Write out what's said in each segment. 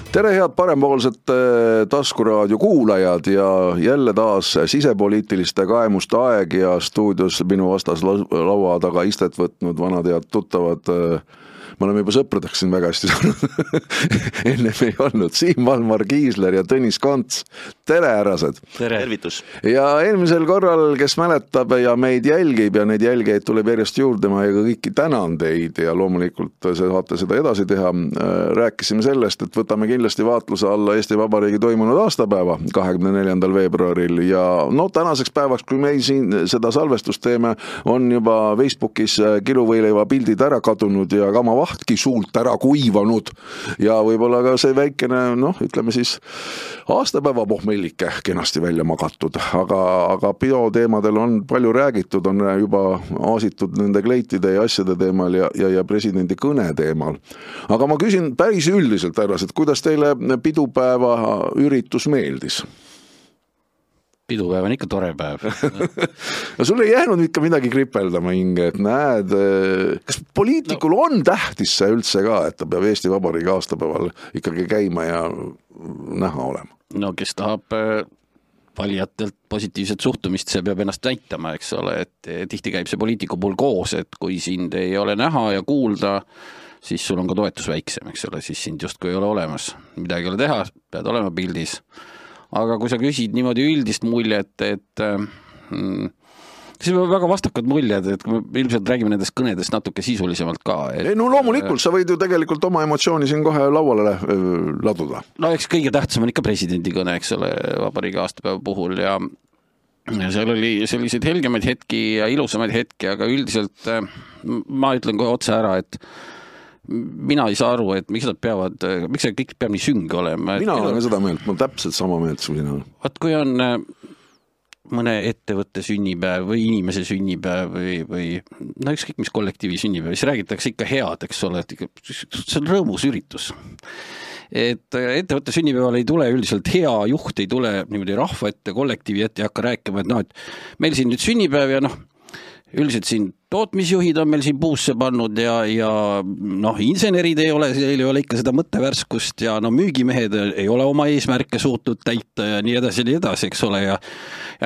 Tere head parempoolsed taskuraadio kuulajad ja jälle taas sisepoliitiliste kaemuste aeg ja stuudios minu vastas laua taga istet võtnud vanad head tuttavad. Me oleme juba sõpradeks siin väga hästi saanud. Ennem ei olnud Siim Valmar Kiisler ja Tõnis Konts. Tere härrased! Tervitus! Ja eelmisel korral, kes mäletab ja meid jälgib ja neid jälgeid tuleb järjest juurde, ma ja kõiki tänan teid ja loomulikult saate seda edasi teha. Rääkisime sellest, et võtame kindlasti vaatluse alla Eesti Vabariigi toimunud aastapäeva 24. veebruaril ja tänaseks päevaks, kui meil siin seda salvestust teeme, on juba Facebookis kiluvõileiva pildid ära kadunud ja kama vahtki suult ära kuivanud ja võib-olla ka see väikene, ütleme siis aastapäeva pohmellike kenasti välja magatud, aga bioteemadel on palju räägitud, on juba aasitud nende kleitide ja asjade teemal ja presidendi kõne teemal. Aga ma küsin päris üldiselt härras, et kuidas teile pidupäeva üritus meeldis? Pidupäev on ikka tore päev. No sul ei jäänud ikka midagi kripeldama hinge, et näed, kas poliitikul on tähtis see üldse ka, et ta peab Eesti Vabariigi aastapäeval ikkagi käima ja näha olema? No kes tahab valijatelt positiivset suhtumist, see peab ennast näitama, eks ole, et tihti käib see poliitiku puhul koos, et kui sind ei ole näha ja kuulda, siis sul on ka toetus väiksem, eks ole, siis sind justkui ei ole olemas. Midagi ei ole teha, pead olema pildis. Aga kui sa küsid niimoodi üldist muljet, et siis on väga vastakad muljed, et kui me ilmselt räägime nendest kõnedest natuke sisulisemalt ka. No loomulikult, sa võid ju tegelikult oma emotsiooni siin kohe lauale laduda. No eks kõige tähtsam on ikka presidendi kõne, eks ole, vabariigi aastapäeva puhul ja seal oli selliseid helgemaid hetki ja ilusamaid hetki, aga üldiselt ma ütlen kohe otse ära, et mina ei saa aru, et miks see kõik peab nii sünge olema. Mina olen seda meelt, ma täpselt sama meelt sina. Vaat kui on mõne ettevõtte sünnipäev või inimese sünnipäev või ükskõik mis kollektiivi sünnipäev, siis räägitakse ikka head, eks ole, et see on rõõmus üritus. Et ettevõtte sünnipäeval ei tule üldiselt hea juht, ei tule niimoodi rahva ette, kollektiivi ette ja hakka rääkima, et meil siin nüüd sünnipäev ja üldiselt siin tootmisjuhid on meil siin puusse pannud ja insenerid ei ole ikka seda mõttevärskust ja müügimehed ei ole oma eesmärke suutnud täita ja nii edasi, eks ole, ja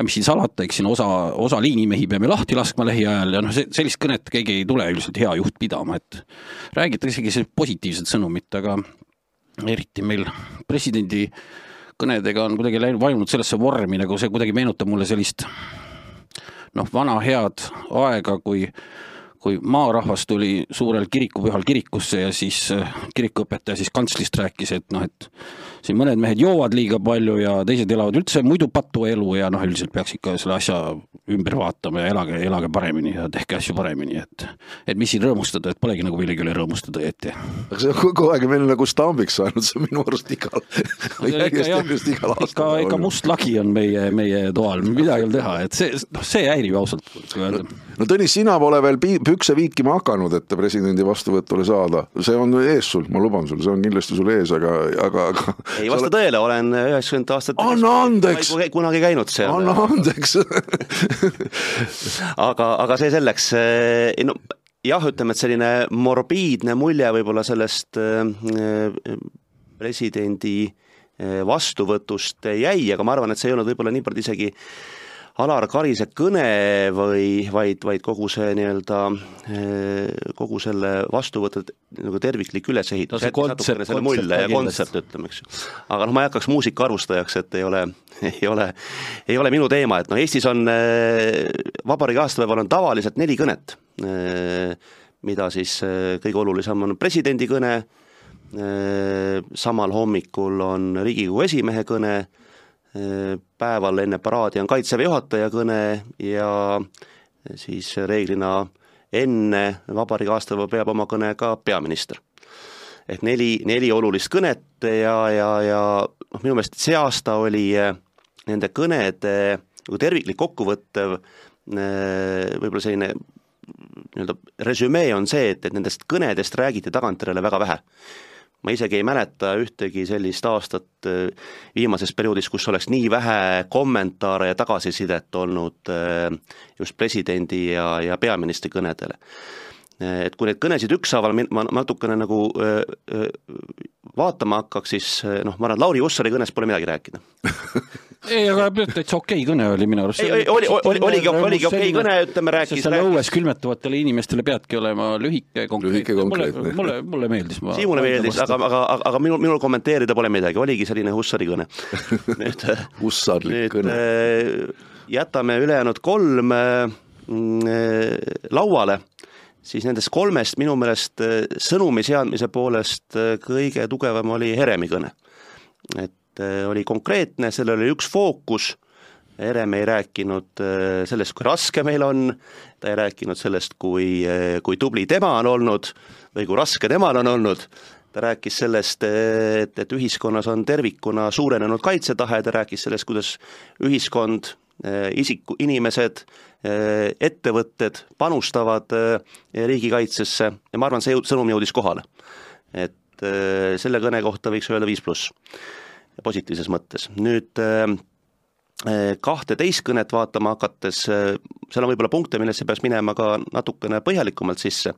mis siin salata, eks siin osa liinimehi peame lahti laskma lähiajal ja sellist kõnet keegi ei tule üldiselt hea juht pidama, et räägitakse isegi positiivset sõnumit, aga eriti meil presidendi kõnedega on kuidagi vajunud sellesse vormi, nagu see kuidagi meenutab mulle sellist vana head aega, kui maarahvas tuli suurel kirikupühal kirikusse ja siis kirikuõpetaja siis kantslist rääkis, et siin mõned mehed joovad liiga palju ja teised elavad üldse muidu patu elu ja üldiselt peaks ikka selle asja ümber vaatama ja elage paremini ja tehke asju paremini, et mis siin rõõmustada, et polegi nagu millegi üle rõõmustada ette. Aga see on kogu aeg meil nagu stambiks saanud, see on minu arust igal aastal. Ega must lagi on meie toal, midagi on teha, et see häirib ausalt. No Tõnis, sina pole veel pükse viikima hakanud, et presidendi vastuvõtule saada. See on ees sul, ma luban sul, see on kindlasti sul ees, aga ei vasta tõele, olen 90 aastat kunagi käinud seal. Anna andeks. aga see selleks, jah, ütleme, et selline morbiidne mulje võib-olla sellest presidendi vastuvõtust jäi, aga ma arvan, et see ei olnud võib-olla nii palju isegi Alar Karise kõne, vaid kogu see kogu selle vastuvõtted nagu terviklik ülesehitus. See kontsept, ütleme, eks. Aga ma ei hakkaks muusika arvustajaks, et ei ole minu teema, et Eestis on vabariigi aastapäeval on tavaliselt 4 kõnet, mida siis kõige olulisem on presidendi kõne, samal hommikul on Riigikogu esimehe kõne, päeval enne paraadi on Kaitseväe juhataja kõne ja siis reeglina enne vabariigi aastapäeva peab oma kõne ka peaminister. Et 4 olulist kõnet ja minu meelest see aasta oli nende kõnede terviklik kokkuvõttev võib-olla selline resümee on see, et nendest kõnedest räägiti tagantjärele väga vähe. Ma isegi ei mäleta ühtegi sellist aastat viimases perioodis, kus oleks nii vähe kommentaare ja tagasisidet olnud just presidendi ja peaministri kõnedele. et kui neid kõnesid ükshaaval ma natukene nagu vaatama hakkaks, siis ma arvan, et Lauri Hussari kõnes pole midagi rääkida. Ei, aga täitsa okei kõne oli minu arust. Oligi okei kõne, ütleme, rääkis. Selle õues külmetavatele inimestele peadki olema lühike konkreetne. Mulle meeldis. Siimule meeldis, aga minul kommenteerida pole midagi, oligi selline Hussari kõne. Hussarlik kõne. Jätame ülejäänud 3 lauale, siis nendest 3 minu meelest sõnumi seadmise poolest kõige tugevam oli Heremi kõne. Et oli konkreetne, sellel oli üks fookus, Herem ei rääkinud sellest, kui raske meil on, ta ei rääkinud sellest, kui tubli tema on olnud või kui raske temal on olnud, ta rääkis sellest, et ühiskonnas on tervikuna suurenenud kaitsetahe, ta rääkis sellest, kuidas ühiskond, inimesed, ettevõtted panustavad riigikaitsesse ja ma arvan, see sõnum jõudis kohale. Et selle kõne kohta võiks öelda 5+, positiivses mõttes. Nüüd 12 kõnet vaatama hakates, seal on võib-olla punkte, millesse peaks minema ka natukene põhjalikumalt sisse,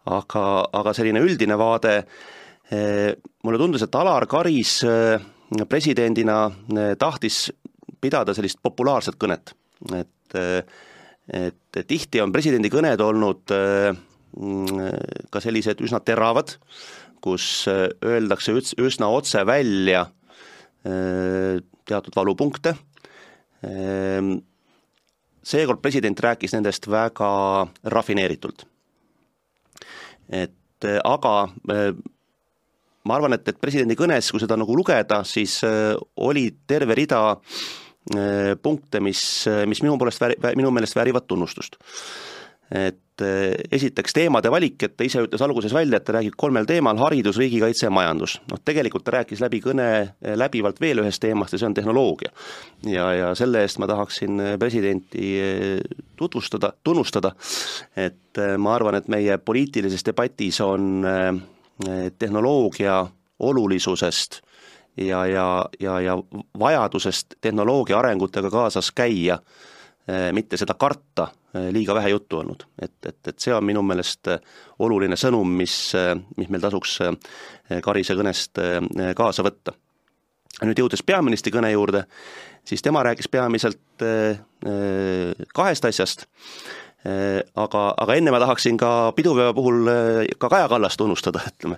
aga selline üldine vaade, mulle tundus, et Alar Karis presidendina tahtis pidada sellist populaarset kõnet, et tihti on presidendi kõned olnud ka sellised üsna teravad, kus öeldakse üsna otse välja teatud valupunkte. Seekord president rääkis nendest väga rafineeritult. Aga ma arvan, et presidendi kõnes, kui seda nagu lugeda, siis oli terve rida punkte, mis minu meelest väärivad tunnustust. Et esiteks teemade valik, et ta ise ütles alguses välja, et ta räägib 3 teemal, haridus, riigikaitse ja majandus. Tegelikult ta rääkis läbi kõne läbivalt veel ühest teemast ja see on tehnoloogia. Ja selle eest ma tahaksin presidenti tunnustada, et ma arvan, et meie poliitilises debatis on tehnoloogia olulisusest ja vajadusest tehnoloogia arengutega kaasas käia, mitte seda karta, liiga vähe juttu olnud. Et see on minu meelest oluline sõnum, mis meil tasuks Karise kõnest kaasa võtta. Nüüd jõudes peaministri kõne juurde, siis tema rääkis peamiselt 2 asjast, aga enne ma tahaksin ka pidupäeva puhul ka Kaja Kallas tunnustada, ütleme.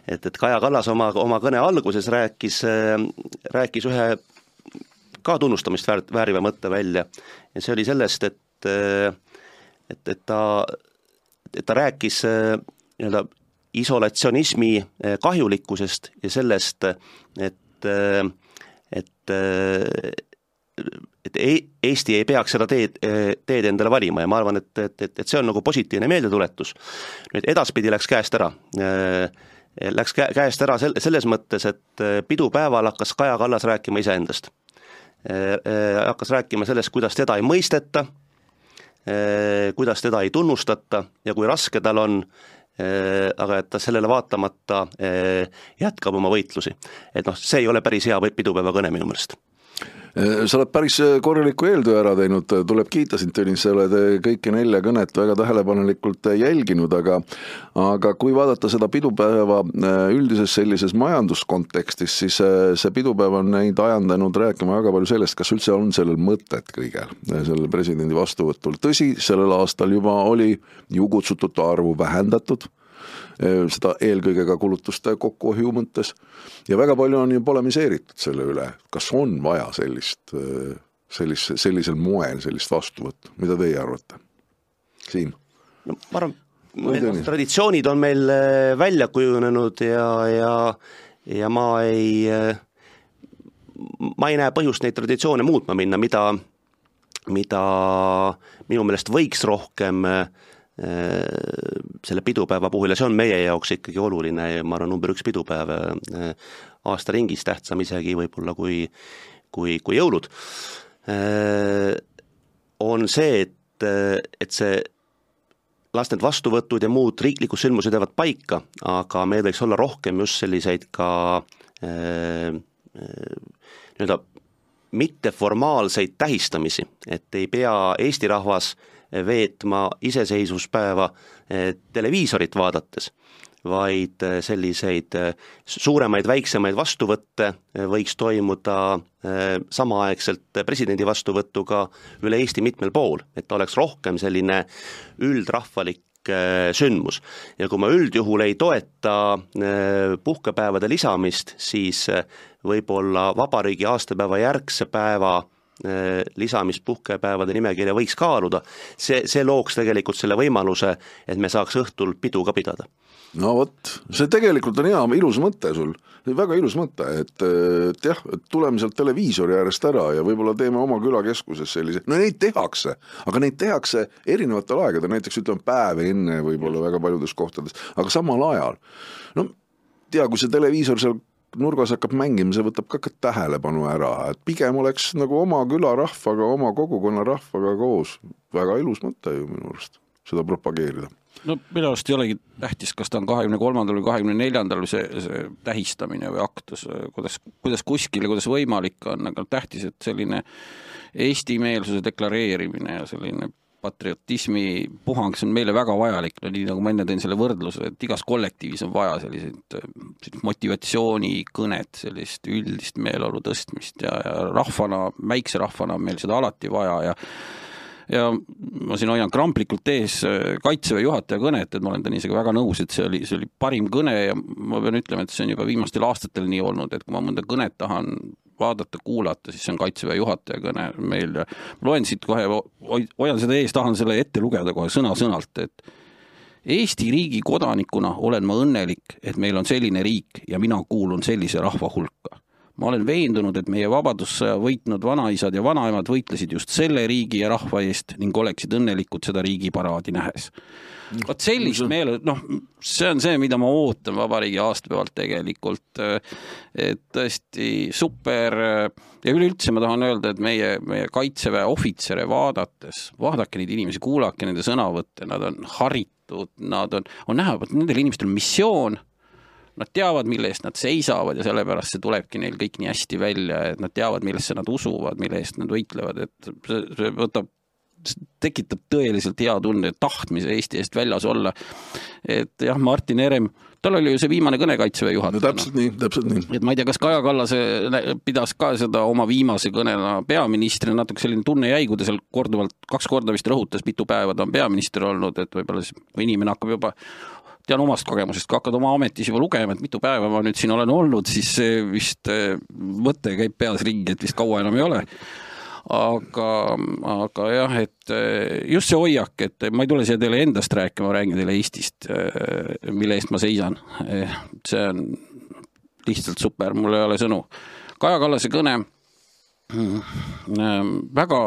Et Kaja Kallas oma kõne alguses rääkis ühe ka tunnustamist vääriva mõtte välja ja see oli sellest, et ta rääkis nii-öelda isolatsionismi kahjulikkusest ja sellest, et Eesti ei peaks seda teed endale valima ja ma arvan, et see on nagu positiivne meeldetuletus. Nüüd edaspidi läks käest ära. Läks käest ära selles mõttes, et pidupäeval hakkas Kaja Kallas rääkima iseendast. Hakkas rääkima sellest, kuidas teda ei mõisteta, kuidas teda ei tunnustata ja kui raske tal on, aga et ta sellele vaatamata jätkab oma võitlusi. Et see ei ole päris hea pidupäeva kõne minu meelest. Sa oled päris korraliku eeltöö ära teinud, tuleb kiita sind, Tõnis, sa oled kõiki 4 kõnet väga tähelepanelikult jälginud, aga kui vaadata seda pidupäeva üldises sellises majanduskontekstis, siis see pidupäev on neid ajandanud rääkima väga palju sellest, kas üldse on sellel mõtet kõigel, sellel presidendi vastuvõtul. Tõsi, sellel aastal juba oli ju kutsutute arvu vähendatud, seda eelkõige ka kulutuste kokkuhoiu mõttes ja väga palju on ju polemiseeritud selle üle, kas on vaja sellisel moel sellist vastuvõttu, mida teie arvate? Siim? No, ma arvan, traditsioonid on meil välja kujunenud ja ma ei näe põhjust neid traditsioone muutma minna, mida minu meelest võiks rohkem selle pidupäeva puhul ja see on meie jaoks ikkagi oluline ja ma arvan number 1 pidupäev aasta ringis, tähtsam isegi võib-olla kui jõulud, on see, et see las need vastuvõtud ja muud riiklikud sündmused jäävad paika, aga meil võiks olla rohkem just selliseid ka nii-öelda mitteformaalseid tähistamisi, et ei pea Eesti rahvas veetma iseseisvuspäeva televiisorit vaadates, vaid selliseid suuremaid, väiksemaid vastuvõtte võiks toimuda samaaegselt presidendi vastuvõtuga üle Eesti mitmel pool, et ta oleks rohkem selline üldrahvalik sündmus. Ja kui ma üldjuhul ei toeta puhkepäevade lisamist, siis võib-olla vabariigi aastapäeva järgse päeva lisamist puhkepäevade nimekirja võiks kaaluda. See looks tegelikult selle võimaluse, et me saaks õhtul pidu ka pidada. No vot, see tegelikult on hea, ilus mõte sul, väga ilus mõte, et jah, tuleme sealt televiisori äärest ära ja võib-olla teeme oma külakeskuses sellise, no neid tehakse, aga neid tehakse erinevatel aegadel, näiteks ütleme päev enne võib-olla väga paljudes kohtades, aga samal ajal, no tea, kui see televiisor seal nurgas hakkab mängima, see võtab ka tähelepanu ära, et pigem oleks nagu oma külarahvaga, oma kogukonna rahvaga koos, väga ilus mõte ju minu arust, seda propageerida. No minu arust ei olegi tähtis, kas ta on 23. või 24. või see tähistamine või aktus, kuidas kuskil ja kuidas võimalik on, aga tähtis, et selline Eesti-meelsuse deklareerimine ja selline patriotismi puhang, see on meile väga vajalik, no nii nagu ma enne tõin selle võrdluse, et igas kollektiivis on vaja selliseid motivatsioonikõnet, sellist üldist meeleolu tõstmist ja rahvana, väikse rahvana on meil seda alati vaja ja ma siin hoian kramplikult ees Kaitseväe juhataja kõnet, et ma olen tani isegi väga nõus, et see oli parim kõne ja ma pean ütlema, et see on juba viimastel aastatel nii olnud, et kui ma mõnda kõnet tahan vaadata, kuulata, siis see on Kaitseväe juhataja kõne meil ja loen siit kohe, hoian seda ees, tahan selle ette lugeda kohe sõna-sõnalt, et Eesti riigi kodanikuna olen ma õnnelik, et meil on selline riik ja mina kuulun sellise rahva hulka. Ma olen veendunud, et meie vabadussõja võitnud vanaisad ja vanaemad võitlesid just selle riigi ja rahva eest ning oleksid õnnelikud seda riigiparaadi nähes. Vaat sellist meele, see on see, mida ma ootan vabariigi aastapäevalt tegelikult, et tõesti super ja üleüldse ma tahan öelda, et meie Kaitseväe ohvitsere vaadake neid inimesi, kuulake nende sõnavõtte, nad on haritud, nad on näha, et nendel inimestel on missioon, nad teavad, mille eest nad seisavad ja sellepärast see tulebki neil kõik nii hästi välja, et nad teavad, millesse nad usuvad, mille eest nad võitlevad, et see tekitab tõeliselt hea tunde, tahtmise Eesti eest väljas olla. Et jah, Martin Herem, tal oli ju see viimane kõne Kaitseväe juhatajana. No, täpselt nii. Et ma ei tea, kas Kaja Kallase pidas ka seda oma viimase kõnena peaministrina, natuke selline tunne jäi, kui ta seal korduvalt 2 korda vist rõhutas, mitu päeva ta on peaminister olnud, et võib-olla kui inimene hakkab juba tean omast kogemusest, kui hakkad oma ametis juba lugema, et mitu päeva ma nüüd siin olen olnud, siis see vist mõte käib peas ringi, et vist kaua enam ei ole. Aga jah, et just see hoiak, et ma ei tule siia teile endast rääkima, ma räägin teile Eestist, mille eest ma seisan. See on lihtsalt super, mul ei ole sõnu. Kaja Kallase kõne väga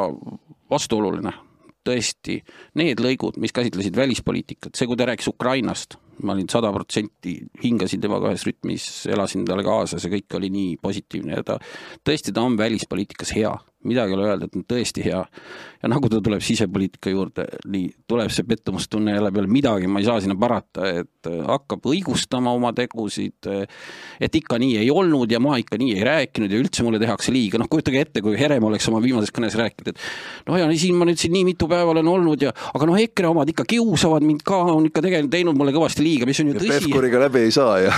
vastuoluline. Tõesti, need lõigud, mis käsitlesid välispoliitikat, see, kui ta rääkis Ukrainast, ma olin 100% hingasin temaga ühes rütmis, elasin talle kaasa, see kõik oli nii positiivne ja tõesti ta on välispoliitikas hea, midagi ole öelda, et on tõesti hea ja nagu ta tuleb sisepoliitika juurde, nii tuleb see pettumustunne jälle peale midagi, ma ei saa sinna parata, et hakkab õigustama oma tegusid, et ikka nii ei olnud ja ma ikka nii ei rääkinud ja üldse mulle tehakse liiga, kujutage ette, kui Herem oleks oma viimases kõnes rääkinud, et ja siin ma nüüd siin nii mitu päeva olen olnud ja aga EKRE omad ikka kiusavad mind ka, on ikka tegelikult teinud mulle kõvasti liiga, mis on ju tõsi. Pehkuriga läbi ei saa ja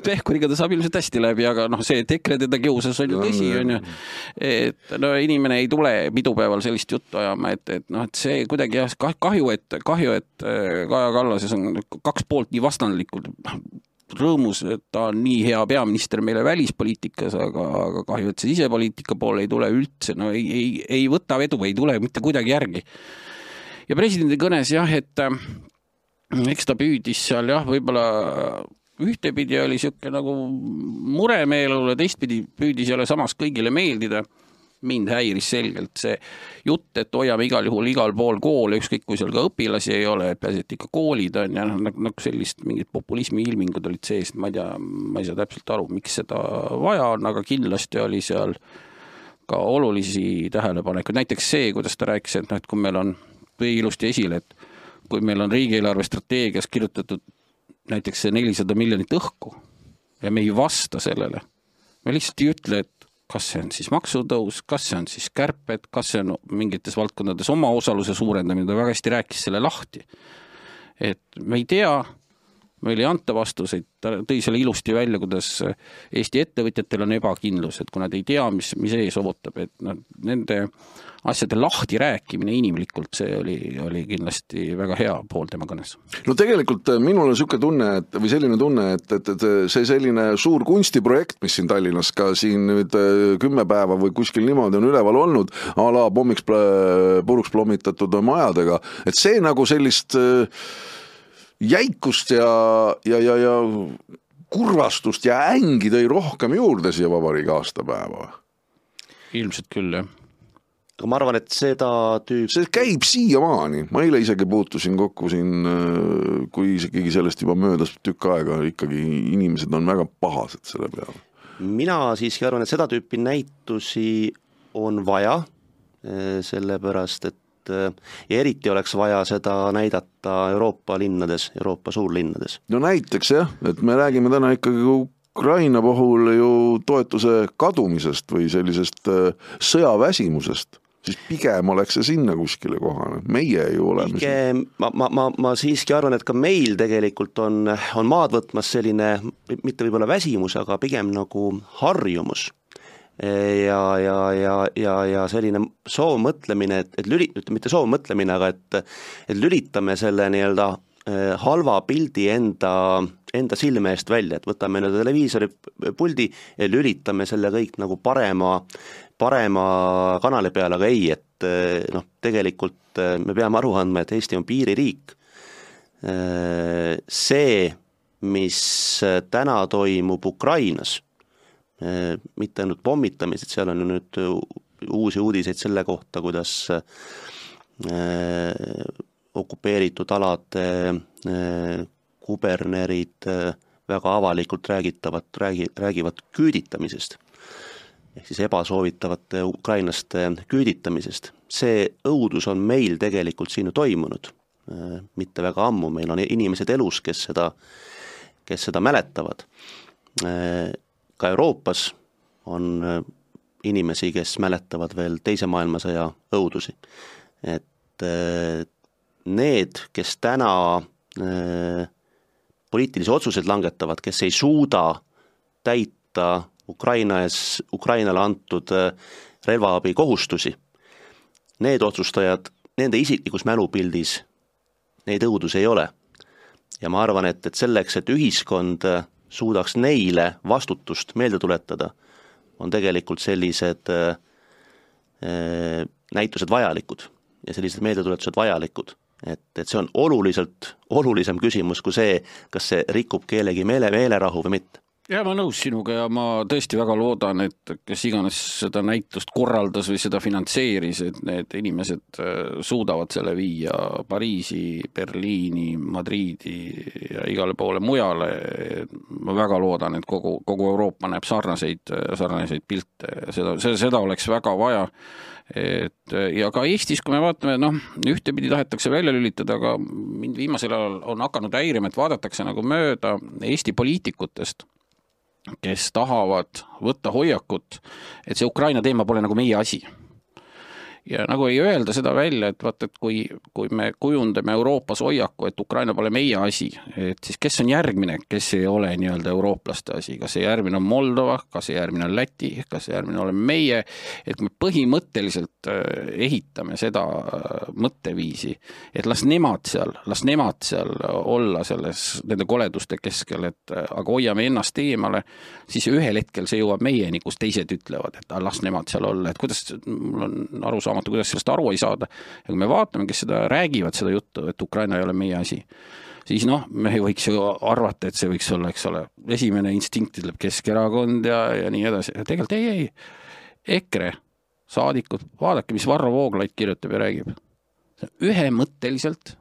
Pehkuriga ta saab ilmselt hästi läbi, aga see, et EKRE teda kiusas on ju tõsi, on ju, et inimene ei tule pidupäeval sellist juttu ajama, et see kuidagi jah, kahju, et Kaja Kallases on 2 poolt nii vastandlikud, rõõmus, et ta on nii hea peaminister meile välispoliitikas, aga kahju, et see sisepoliitika poole ei tule üldse, ei võta vedu, ei tule mitte kuidagi järgi. Ja presidendi kõnes jah, et eks ta püüdis seal jah, võib-olla ühtepidi oli siuke nagu muremeelule, teistpidi püüdis jälle samas kõigile meeldida. Mind häiris selgelt see jutt, et hoiame igal juhul igal pool koole, ükskõik kui seal ka õpilasi ei ole, et pääset ikka koolid on ja nagu sellist mingid populismi ilmingud olid sees, ma ei saa täpselt aru, miks seda vaja on, aga kindlasti oli seal ka olulisi tähelepanekuid, näiteks see, kuidas ta rääkis, et kui meil on ilusti esile, et kui meil on riigieelarve strateegias kirjutatud näiteks see 400 miljonit õhku ja me ei vasta sellele, me lihtsalt ei ütle, et kas see on siis maksutõus, kas see on siis kärped, kas see on mingites valdkondades oma osaluse suurendamine, ta väga hästi rääkis selle lahti. Et me ei tea, meil ei anta vastuseid, ta tõi selle ilusti välja, kuidas Eesti ettevõtjatel on ebakindlus, et kui nad ei tea, mis ees ootab, et nende asjade lahti rääkimine inimlikult, see oli kindlasti väga hea pool tema kõnes. No tegelikult minul on selline tunne, või selline tunne, et see selline suur kunstiprojekt, mis siin Tallinnas ka siin nüüd 10 päeva või kuskil niimoodi on üleval olnud, a la pommiks puruks plommitatud majadega, et see nagu sellist jäikust ja kurvastust ja ängi tõi rohkem juurde siia vabariigi aastapäeva. Ilmselt küll, jah. Aga ma arvan, et seda see käib siiamaani. Ma eile isegi puutusin kokku siin, kui isegi sellest juba möödas tükk aega, ikkagi inimesed on väga pahased selle peale. Mina siiski arvan, et seda tüüpi näitusi on vaja, sellepärast, et ja eriti oleks vaja seda näidata Euroopa linnades, Euroopa suurlinnades. No näiteks jah, et me räägime täna ikkagi Ukraina puhul ju toetuse kadumisest või sellisest sõjaväsimusest, siis pigem oleks see sinna kuskile kohane. Meie ju oleme ma siiski arvan, et ka meil tegelikult on maad võtmas selline, mitte võib-olla väsimus, aga pigem nagu harjumus. Ja selline soovmõtlemine, mitte soovmõtlemine, aga et lülitame selle nii-öelda halva pildi enda silme eest välja, et võtame televiisori puldi ja lülitame selle kõik nagu parema kanali peale, aga ei, et tegelikult me peame aru andma, et Eesti on piiririik. See, mis täna toimub Ukrainas, mitte ainult pommitamised, seal on nüüd uusi uudiseid selle kohta, kuidas okupeeritud alade kubernerid väga avalikult räägivad küüditamisest, ehk siis ebasoovitavate ukrainlaste küüditamisest. See õudus on meil tegelikult siin toimunud, mitte väga ammu, meil on inimesed elus, kes seda mäletavad. Ka Euroopas on inimesi, kes mäletavad veel teise maailmasõja õudusi. Et need, kes täna poliitilisi otsuseid langetavad, kes ei suuda täita Ukrainale antud relvaabi kohustusi, need otsustajad, nende isiklikus mälupildis neid õudus ei ole. Ja ma arvan, et selleks, et ühiskond suudaks neile vastutust meelde tuletada, on tegelikult sellised näitused vajalikud ja sellised meeldetuletused vajalikud. Et see on olulisem küsimus kui see, kas see rikub kellegi meelerahu või mitte. Ja ma nõus sinuga ja ma tõesti väga loodan, et kes iganes seda näitust korraldas või seda finantseeris, et need inimesed suudavad selle viia Pariisi, Berliini, Madriidi ja igale poole mujale. Ma väga loodan, et kogu Euroopa näeb sarnaseid pilte ja seda oleks väga vaja. Ja ka Eestis, kui me vaatame, ühtepidi tahetakse välja lülitada, aga mind viimasel ajal on hakanud häirima, et vaadatakse nagu mööda Eesti poliitikutest, kes tahavad võtta hoiakut, et see Ukraina teema pole nagu meie asi. Ja nagu ei öelda seda välja, et vaata, et kui me kujundame Euroopas hoiaku, et Ukraina pole meie asi, et siis kes on järgmine, kes ei ole nii-öelda eurooplaste asi, kas see järgmine on Moldova, kas see järgmine on Läti, kas see järgmine oleme meie, et me põhimõtteliselt ehitame seda mõtteviisi, et las nemad seal olla nende koleduste keskel, aga hoiame ennast eemale, siis ühel hetkel see jõuab meieni, kus teised ütlevad, et las nemad seal olla, et kuidas mul on aru kuidas sellest aru ei saada. Ja kui me vaatame, kes seda räägivad, seda juttu, et Ukraina ei ole meie asi, siis me võiks ju arvata, et see võiks olla, eks ole, esimene instinkt ütleb Keskerakond ja nii edasi. Ja tegelikult ei. EKRE saadikud, vaadake, mis Varro Vooglaid kirjutab ja räägib. Ühemõtteliselt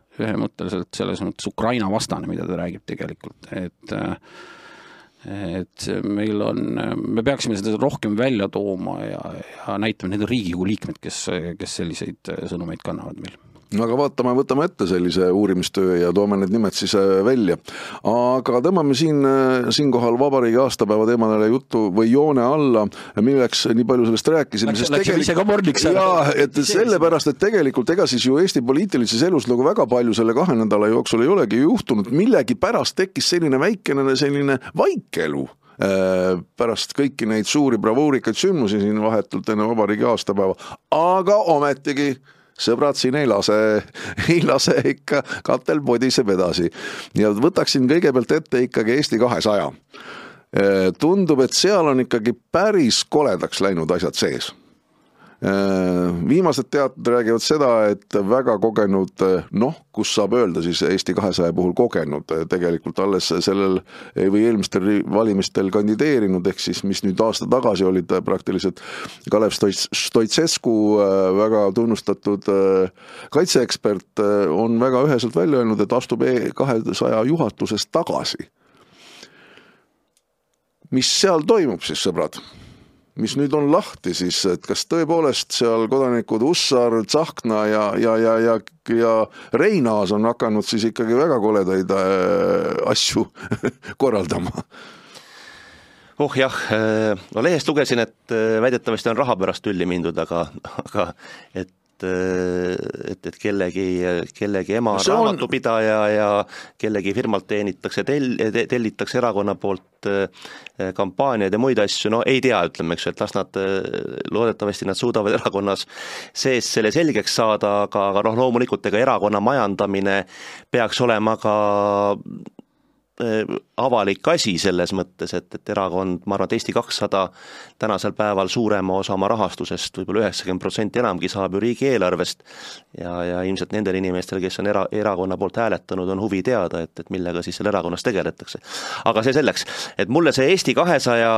selles mõttes Ukraina vastane, mida ta räägib tegelikult, et me peaksime seda rohkem välja tooma ja näitame need Riigikogu liikmed, kes selliseid sõnumeid kannavad meil. aga võtame ette sellise uurimistöö ja toome need nimed siis välja. Aga tõmbame siinkohal vabariigi aastapäeva teemadele juttu või joone alla, milleks nii palju sellest rääkisime. Läksime ise ka mordiks ära. Jaa, et sellepärast, et tegelikult ega siis ju Eesti poliitilises elus nagu väga palju selle 2 nädala jooksul ei olegi juhtunud. Millegi pärast tekkis selline selline vaikelu pärast kõiki neid suuri bravuurikaid sündmusi siin vahetult enne vabariigi aastapäeva, aga ometigi sõbrad siin ei lase ikka katel podiseb edasi. Ja võtaksin kõigepealt ette ikkagi Eesti 200. Tundub, et seal on ikkagi päris koledaks läinud asjad sees. Viimased teated räägivad seda, et väga kogenud, kus saab öelda siis Eesti 200 puhul kogenud, tegelikult alles sellel või eelmistel valimistel kandideerinud, ehk siis mis nüüd aasta tagasi olid praktiliselt Kalev Stoicescu, väga tunnustatud kaitseekspert, on väga üheselt välja öelnud, et astub 200 juhatusest tagasi. Mis seal toimub siis, sõbrad? Mis nüüd on lahti siis, et kas tõepoolest seal kodanikud Ussar, Tsahkna ja Reinaas on hakanud siis ikkagi väga koledaid asju korraldama? Jah, no lehest lugesin, et väidetavasti on raha pärast tülli mindud, aga et kellegi ema raamatupidaja ja kellegi firmalt tellitakse erakonna poolt kampaaniaid ja muid asju, no ei tea, ütleme, eks, et las nad, loodetavasti nad suudavad erakonnas sees selle selgeks saada, aga loomulikult ega erakonna majandamine peaks olema ka avalik asi selles mõttes, et erakond, ma arvan, et Eesti 200 tänasel päeval suurema osa oma rahastusest, võib-olla 90% enamgi saab ju riigieelarvest ja ilmselt nendel inimestel, kes on erakonna poolt hääletanud, on huvi teada, et millega siis seal erakonnas tegeletakse. Aga see selleks, et mulle see Eesti 200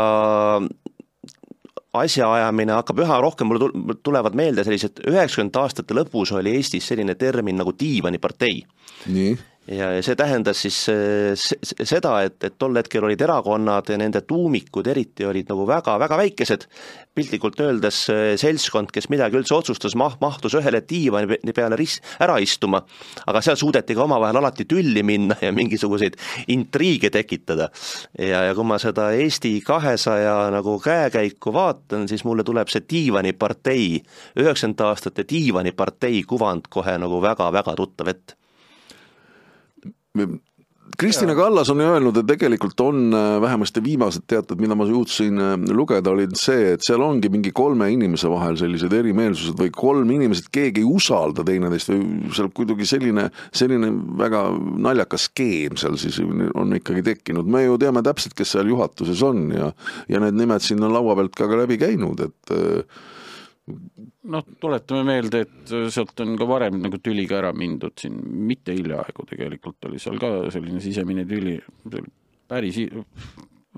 asjaajamine hakkab üha rohkem, mulle tulevad meelde sellised 90 aastate lõpus oli Eestis selline termin nagu diivanipartei. Nii. Ja see tähendas siis seda, et tol hetkel olid erakonnad ja nende tuumikud eriti olid nagu väga väikesed, piltlikult öeldes seltskond, kes midagi üldse otsustas, mahtus ühele diivani peale ära istuma, aga seal suudeti ka omavahel alati tülli minna ja mingisuguseid intriige tekitada. Ja kui ma seda Eesti 200 nagu käekäiku vaatan, siis mulle tuleb see diivanipartei, 90 aastate diivanipartei kuvand kohe nagu väga tuttav ette. Kristina Kallas on öelnud, et tegelikult on vähemasti viimased teated, mida ma jõudsin lugeda, olid see, et seal ongi mingi 3 inimese vahel sellised erimeelsused või 3 inimesed, keegi ei usalda teineteist või seal kuidagi selline väga naljakas skeem seal siis on ikkagi tekkinud. Me ju teame täpselt, kes seal juhatuses on ja need nimed siin on laua pealt ka läbi käinud, et tuletame meelde, et sealt on ka varem nagu tüliga ära mindud siin, mitte hiljaaegu tegelikult oli seal ka selline sisemine tüli päris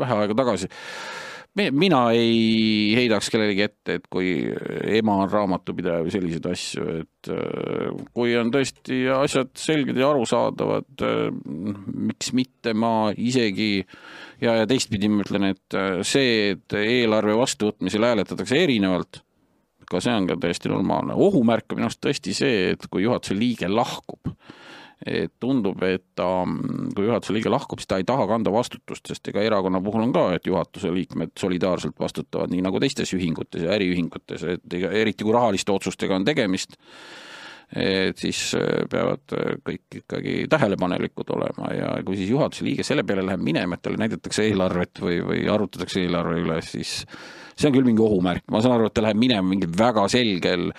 vähe aega tagasi. Mina ei heidaks kellelegi ette, et kui ema on raamatupidaja või selliseid asju, et kui on tõesti asjad selged ja arusaadavad, miks mitte ma isegi ja teistpidi ma ütlen, et see, et eelarve vastuvõtmisel hääletatakse erinevalt, ka see on ka täiesti normaalne. Ohumärk on minust tõesti see, et kui juhatuse liige lahkub, et tundub, et kui juhatuse liige lahkub, siis ta ei taha kanda vastutust, sest ega erakonna puhul on ka, et juhatuse liikmed solidaarselt vastutavad nii nagu teistes ühingutes ja äriühingutes, et eriti kui rahaliste otsustega on tegemist, et siis peavad kõik ikkagi tähelepanelikud olema ja kui siis juhatuse liige selle peale läheb minema, et talle näidatakse eelarvet või arutatakse eelarve üle, siis see on küll mingi ohumärk. Ma saan aru, et ta läheb minema mingi väga selgel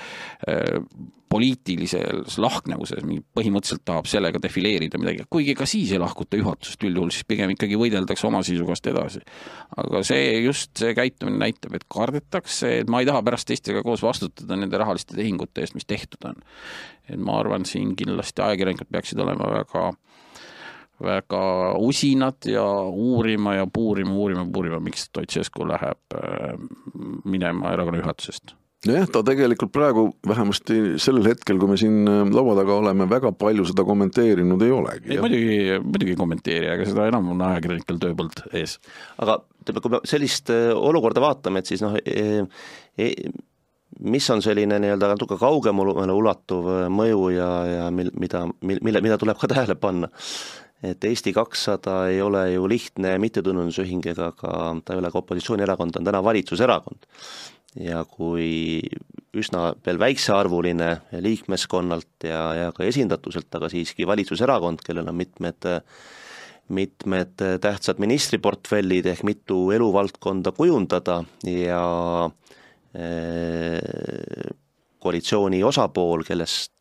poliitilises lahknevuses, põhimõtteliselt tahab sellega defileerida midagi, kuigi ka siis ei lahkuta juhatusest üldjuhul, siis pigem ikkagi võideldakse oma seisukohast edasi. Aga see käitumine näitab, et kardetakse, et ma ei taha pärast teistega koos vastutada nende rahaliste tehingute eest, mis tehtud on. Et ma arvan, siin kindlasti ajakirjanikud peaksid olema väga usinad ja uurima, miks Stoicescu läheb minema erakonna juhatusest. Jah, ta tegelikult praegu vähemasti sellel hetkel, kui me siin laua taga oleme, väga palju seda kommenteerinud ei olegi. Muidugi ei kommenteeri, aga seda enam on ajakirjanikel tööpõld ees. Aga kui me sellist olukorda vaatame, et siis mis on selline nii-öelda natuke kaugemale ulatuv mõju ja mida tuleb ka tähele panna, et Eesti 200 ei ole ju lihtne mittetulundusühing ega ta ei ole ka opositsioonierakond, ta on täna valitsuserakond. Ja kui üsna veel väiksearvuline liikmeskonnalt ja ka esindatuselt, aga siiski valitsuserakond, kellel on mitmed tähtsad ministriportfellid ehk mitu eluvaldkonda kujundada ja koalitsiooni osapool, kellest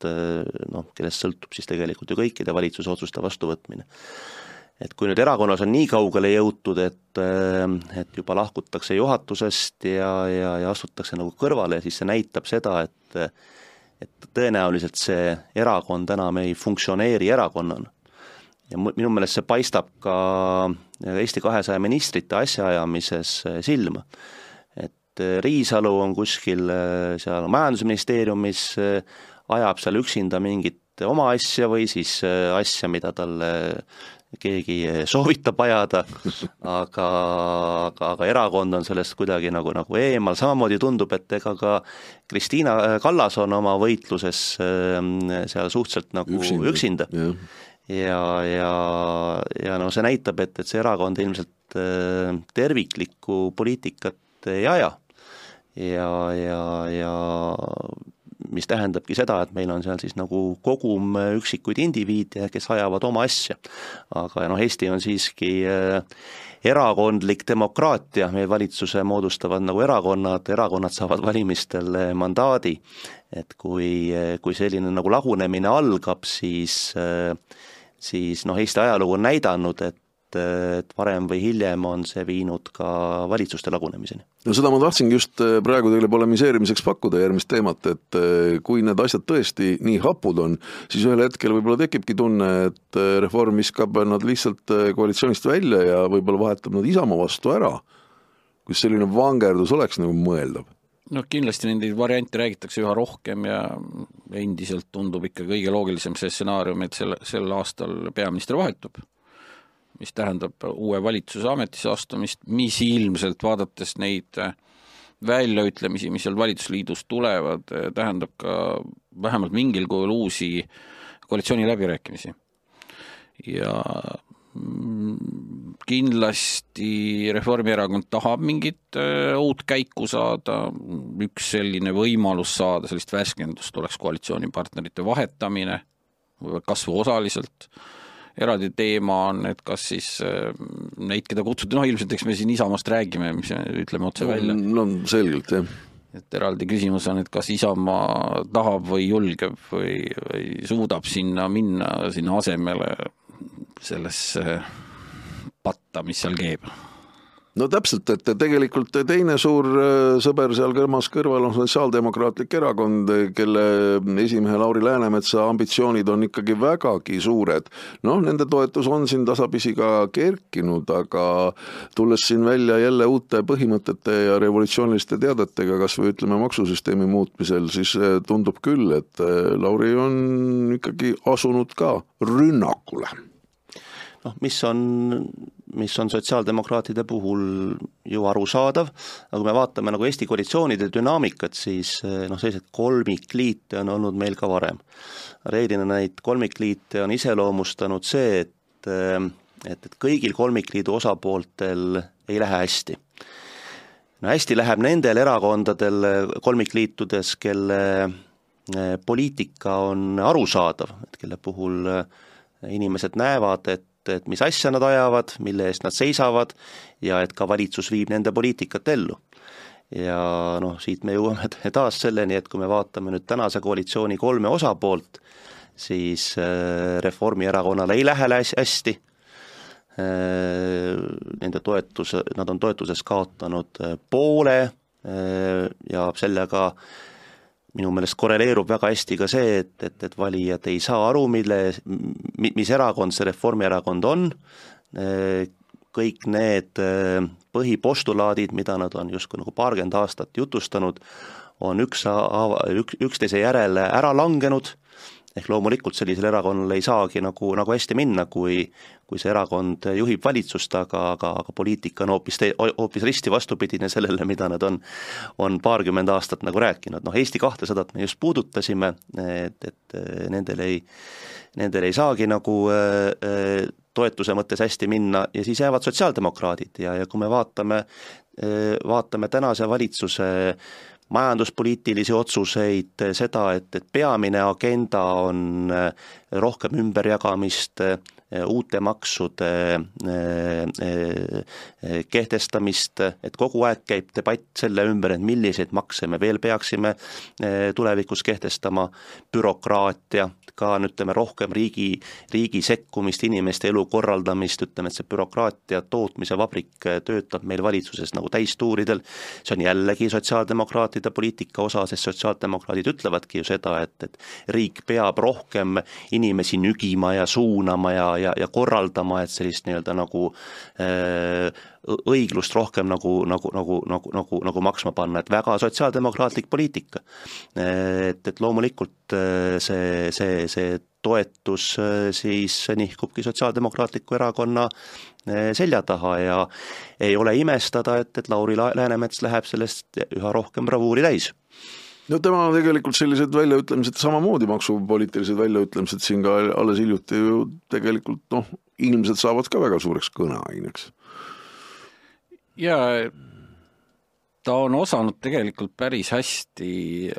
sõltub siis tegelikult ju kõikide valitsuse otsuste vastuvõtmine. Et kui nüüd erakonnas on nii kaugele jõutud, et juba lahkutakse juhatusest ja astutakse nagu kõrvale, siis see näitab seda, et tõenäoliselt see erakond enam ei funktsioneeri erakonnana. Ja minu meelest see paistab ka Eesti 200 ministrite asjaajamises silma. Et Riisalu on kuskil seal majandusministeeriumis, ajab seal üksinda mingit oma asja või siis asja, mida talle keegi soovitab ajada, aga erakond on sellest kuidagi nagu eemal, samamoodi tundub, et ega ka Kristiina Kallas on oma võitluses seal suhteliselt nagu üksinda. Ja no see näitab, et see erakond ilmselt terviklikku poliitikat ei aja ja mis tähendabki seda, et meil on seal siis nagu kogum üksikuid indiviide, kes ajavad oma asja. Aga Eesti on siiski erakondlik demokraatia, meie valitsuse moodustavad nagu erakonnad saavad valimistel mandaadi, et kui selline nagu lagunemine algab, siis Eesti ajalugu on näidanud, et varem või hiljem on see viinud ka valitsuste lagunemiseni. No seda ma tahtsingi just praegu teile polemiseerimiseks pakkuda järgmist teemat, et kui need asjad tõesti nii hapud on, siis ühel hetkel võib-olla tekibki tunne, et Reform viskab nad lihtsalt koalitsioonist välja ja võib-olla vahetab nad Isamaa vastu ära, kus selline vangerdus oleks nagu mõeldav. No kindlasti neid variante räägitakse üha rohkem ja endiselt tundub ikka kõige loogilisem see stsenaarium, et sel aastal peaminister vahetub, mis tähendab uue valitsuse ametisse astumist, mis ilmselt vaadates neid väljaütlemisi, mis seal valitsusliidus tulevad, tähendab ka vähemalt mingil kujul uusi koalitsiooni läbirääkimisi. Ja kindlasti Reformierakond tahab mingit uut käiku saada, üks selline võimalus saada, sellist värskendust oleks koalitsioonipartnerite vahetamine, kasvu osaliselt. Eraldi teema on, et kas siis neid, keda kutsuti, ilmselt eks me siin Isamaast räägime, mis ütleme otse välja. No selgelt, jah. Et eraldi küsimus on, et kas Isamaa tahab või julgeb või suudab sinna minna, sinna asemele sellesse patta, mis seal keeb. No täpselt, et tegelikult teine suur sõber seal kõrval on Sotsiaaldemokraatlik erakond, kelle esimehe Lauri Läänemetsa ambitsioonid on ikkagi vägagi suured. Nende toetus on siin tasapisi ka kerkinud, aga tulles siin välja jälle uute põhimõtete ja revolutsiooniliste teadetega, kas või ütleme maksusüsteemi muutmisel, siis tundub küll, et Lauri on ikkagi asunud ka rünnakule. Mis on sotsiaaldemokraatide puhul ju arusaadav, aga kui me vaatame nagu Eesti koalitsioonide dünaamikat, siis sellised kolmikliite on olnud meil ka varem. Reeglina neid kolmikliite on iseloomustanud see, et kõigil kolmikliidu osapooltel ei lähe hästi. Hästi läheb nendel erakondadel kolmikliitudes, kelle poliitika on arusaadav, et kelle puhul inimesed näevad, et mis asja nad ajavad, mille eest nad seisavad ja et ka valitsus viib nende poliitikat ellu. Ja siit me jõuame taas selleni, et kui me vaatame nüüd tänase koalitsiooni 3 osapoolt, siis Reformierakonnale ei lähe hästi. Nad on toetuses kaotanud poole ja sellega minu meelest korreleerub väga hästi ka see, et valijad ei saa aru, mis erakond see Reformierakond on. Kõik need põhipostulaadid, mida nad on justkui nagu 20 aastat jutustanud, on üksteise järele ära langenud ehk loomulikult sellisel erakonnal ei saagi nagu hästi minna, kui see erakond juhib valitsust, aga poliitika on hoopis risti vastupidine sellele, mida nad on paarkümmend aastat nagu rääkinud. Eesti 200 me just puudutasime, et nendel ei saagi nagu toetuse mõttes hästi minna ja siis jäävad sotsiaaldemokraadid ja kui me vaatame tänase valitsuse majanduspoliitilisi otsuseid, seda, et peamine agenda on rohkem ümberjagamist, uute maksude kehtestamist, et kogu aeg käib debatt selle ümber, et milliseid makse me veel peaksime tulevikus kehtestama, bürokraatia, ka ütleme rohkem riigi sekkumist, inimeste elu korraldamist, ütleme, et see bürokraatia tootmise vabrik töötab meil valitsuses nagu täistuuridel, see on jällegi sotsiaaldemokraatide poliitika osa, sest sotsiaaldemokraadid ütlevadki ju seda, et riik peab rohkem inimesi nügima ja suunama ja korraldama, et sellist nii-öelda nagu õiglust rohkem nagu maksma panna, et väga sotsiaaldemokraatlik poliitika. Et loomulikult see toetus siis nihkubki sotsiaaldemokraatliku erakonna selja taha ja ei ole imestada, et Lauri Läänemets läheb sellest üha rohkem bravuuri täis. No tema on tegelikult sellised väljaütlemised, samamoodi maksupoliitilised väljaütlemised siin ka alles hiljuti ju tegelikult inimesed saavad ka väga suureks kõneaineks. Ja ta on osanud tegelikult päris hästi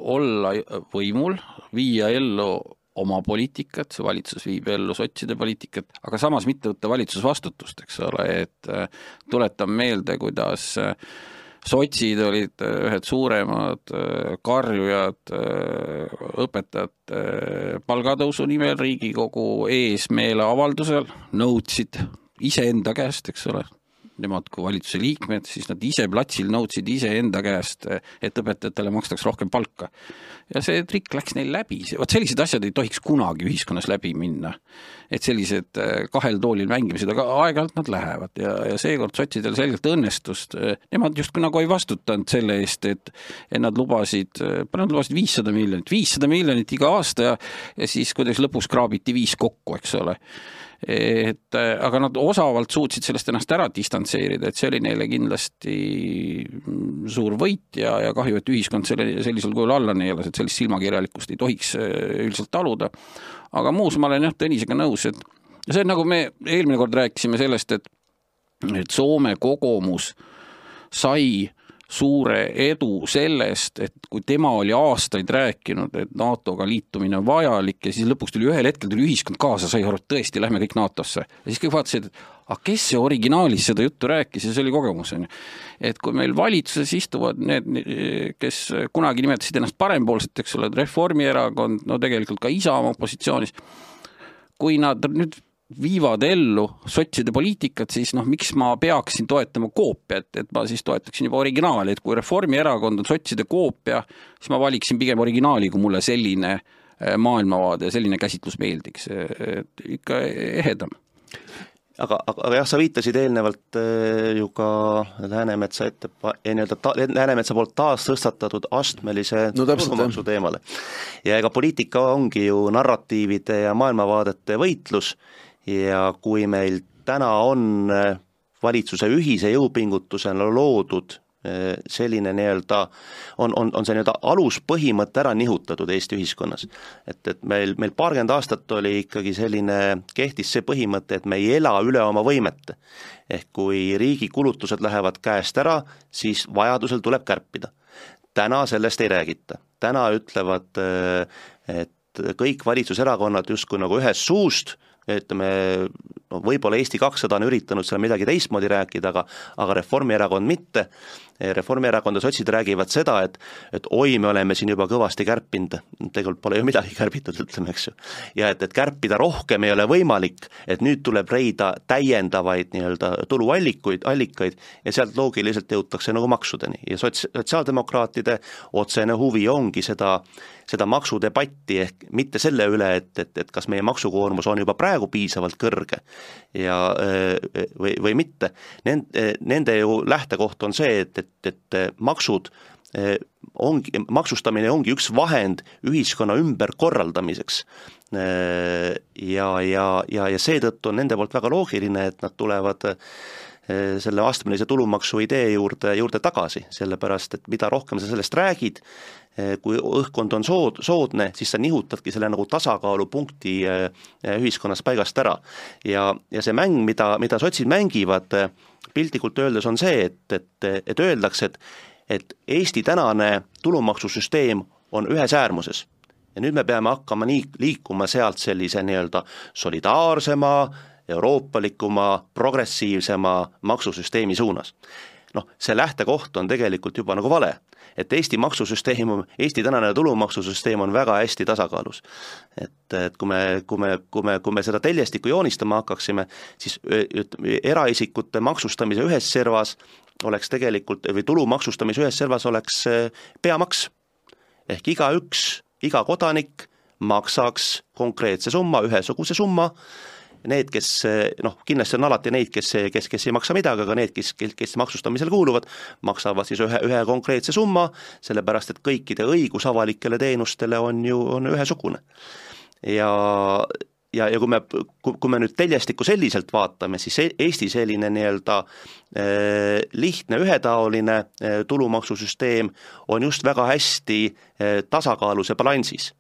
olla võimul, viia ellu oma poliitikat, see valitsus viib ellu sotside poliitikat, aga samas mitte võtta valitsusvastutust, eks ole, et tuletan meelde, kuidas sotsid olid ühed suuremad karjujad õpetajate palgatõusu nimel Riigikogu ees meeleavaldusel, nõudsid iseenda käest, eks ole, nemad kui valitsuse liikmed, siis nad ise platsil nõudsid iseenda käest, et õpetajatele makstaks rohkem palka. Ja see trikk läks neil läbi. Sellised asjad ei tohiks kunagi ühiskonnas läbi minna. Et sellised kahel toolil mängimised, aga aeg-ajalt nad lähevad ja seekord sotsidel selgelt õnnestust. Nemad just nagu ei vastutanud selle eest, et nad lubasid 500 miljonit iga aasta ja siis kuidagi lõpus kraabiti 5 kokku, eks ole. Aga nad osavalt suutsid sellest ennast ära distantseerida, et see oli neile kindlasti suur võit ja kahju, et ühiskond sellisel kujul alla neelas, et sellist silmakirjalikkust ei tohiks üldiselt taluda. Aga muus ma olen Tõnisega nõus, et see on nagu me eelmine kord rääkisime sellest, et Soome kogumus sai suure edu sellest, et kui tema oli aastaid rääkinud, et NATO-ga liitumine on vajalik ja siis lõpuks ühel hetkel tuli ühiskond kaasa, sai aru, et tõesti, lähme kõik NATO-sse. Ja siis kõik vaatasid, et kes see originaalis seda juttu rääkis ja see oli kogemus. Et kui meil valitsuses istuvad need, kes kunagi nimetasid ennast parempoolset, eks ole, Reformierakond, no tegelikult ka Isamaa opositsioonis, kui nad nüüd viivad ellu sotside poliitikat, siis miks ma peaksin toetama koopia, et ma siis toetaksin juba originaali, et kui Reformierakond on sotside koopia, siis ma valiksin pigem originaali, kui mulle selline maailmavaade ja selline käsitlus meeldiks, et ikka ehedam. Aga jah, sa viitasid eelnevalt ju ka Läänemetsa poolt taas tõstatatud astmelise tulumaksu teemale. Ja ega poliitika ongi ju narratiivide ja maailmavaadete võitlus ja kui meil täna on valitsuse ühise jõupingutusena loodud selline on see aluspõhimõte ära nihutatud Eesti ühiskonnas. Et meil paarkümmend aastat oli ikkagi kehtis see põhimõte, et me ei ela üle oma võimete. Ehk kui riigi kulutused lähevad käest ära, siis vajadusel tuleb kärpida. Täna sellest ei räägita. Täna ütlevad, et kõik valitsuserakonnad justkui nagu ühes suust, võib-olla Eesti 200 on üritanud seal midagi teistmoodi rääkida, aga Reformierakond mitte. Reformierakond ja sotsid räägivad seda, et oi, me oleme siin juba kõvasti kärpinud, tegelikult pole ju midagi kärbitud, ütleme, eks ju. Ja et kärpida rohkem ei ole võimalik, et nüüd tuleb leida täiendavaid tuluallikaid ja sealt loogiliselt jõutakse nagu maksudeni. Ja sotsiaaldemokraatide otsene huvi ongi seda maksudebatti ehk mitte selle üle, et kas meie maksukoormus on juba praegu piisavalt kõrge või mitte. Nende ju lähtekoht on see, et maksud maksustamine ongi üks vahend ühiskonna ümberkorraldamiseks. Ja seetõttu on nende poolt väga loogiline, et nad tulevad selle astmelise tulumaksu idee juurde tagasi, sellepärast, et mida rohkem sa sellest räägid, kui õhkkond on soodne, siis sa nihutadki selle nagu tasakaalupunkti ühiskonnas paigast ära. Ja see mäng, mida sotsid mängivad, piltlikult öeldes on see, et öeldakse, et Eesti tänane tulumaksusüsteem on ühes äärmuses. Ja nüüd me peame hakkama liikuma sealt sellise nii-öelda solidaarsema, euroopalikuma, progressiivsema maksusüsteemi suunas. See lähtekoht on tegelikult juba nagu vale, et Eesti tänane tulumaksusüsteem on väga hästi tasakaalus. Et kui me seda teljestikku joonistama hakkaksime, siis eraisikute maksustamise ühes servas oleks tegelikult, või tulumaksustamise ühes servas oleks peamaks. Ehk iga kodanik maksaks konkreetse summa, ühesuguse summa. Need, kes, kindlasti on alati neid, kes ei maksa midagi, aga need, kes maksustamisel kuuluvad, maksavad siis ühe konkreetse summa, sellepärast, et kõikide õigus avalikele teenustele on ühesugune. Ja kui me nüüd teljestikku selliselt vaatame, siis Eesti selline nii-öelda lihtne ühetaoline tulumaksusüsteem on just väga hästi tasakaalus ja balansis.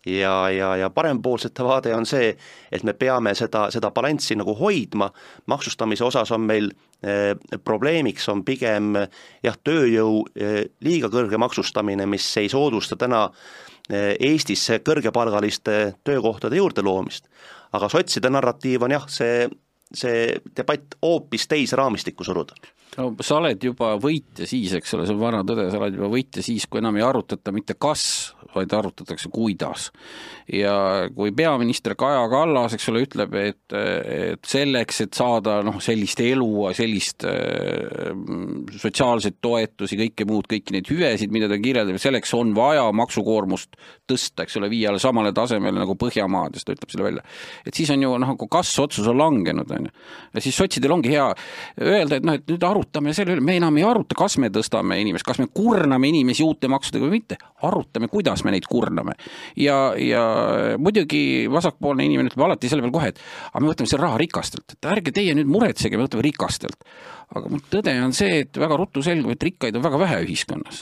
Ja parempoolsete vaade on see, et me peame seda balanssi nagu hoidma, maksustamise osas on meil probleemiks on pigem tööjõu liiga kõrge maksustamine, mis ei soodusta täna Eestisse kõrgepalgaliste töökohtade juurde loomist. Aga sotside narratiiv on see debatt hoopis teise raamistikku suruda. No, sa oled juba võitja siis, eks ole, see on vana tõde, sa oled juba võitja siis, kui enam ei arutata mitte kas, vaid arutatakse kuidas. Ja kui peaminister Kaja Kallas, eks ole, ütleb, et selleks, et saada sellist elu, sellist sotsiaalseid toetusi, kõiki neid hüvesid, mida ta kirjeldab, selleks on vaja maksukoormust tõsta, eks ole, viia samale tasemele nagu Põhjamaades, ta ütleb selle välja. Et siis on ju, kas otsus on langenud, on ju. Ja siis sotsidel ongi hea öelda, et nüüd arutame selle üle, me enam ei aruta, kas me tõstame inimest, kas me kurname inimesi uute maksudega või mitte, arutame, kuidas me neid kurname. Ja muidugi vasakpoolne inimene ütleb alati selle peal kohe, et me võtame selle raha rikastelt, et ärge teie nüüd muretsege, me võtame rikastelt. Aga tõde on see, et väga ruttu selgub, et rikkaid on väga vähe ühiskonnas.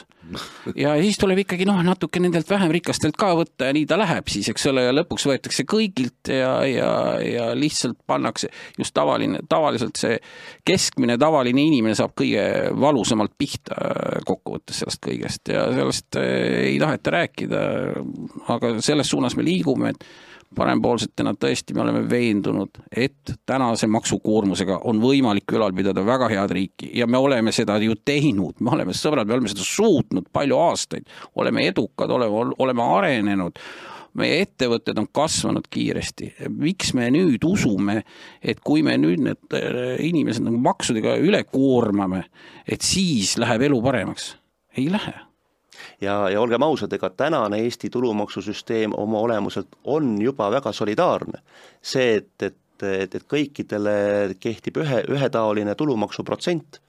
Ja siis tuleb ikkagi natuke nendelt vähem rikastelt ka võtta ja nii ta läheb siis, eks ole, ja lõpuks võetakse kõigilt ja lihtsalt pannakse just tavaliselt see keskmine tavaline inimene saab kõige valusamalt pihta kokkuvõttes sellest kõigest ja sellest ei taheta rääkida, aga selles suunas me liigume, et parempoolsetena tõesti me oleme veendunud, et tänase maksukoormusega on võimalik ülal pidada väga head riiki ja me oleme seda ju teinud, me oleme seda suutnud palju aastaid, oleme edukad, oleme arenenud, meie ettevõtted on kasvanud kiiresti. Miks me nüüd usume, et kui me nüüd need inimesed maksudega üle koormame, et siis läheb elu paremaks? Ei lähe. Ja olgem ausad, ega tänane Eesti tulumaksusüsteem oma olemuselt on juba väga solidaarne. See, et kõikidele kehtib ühetaoline tulumaksuprotsent,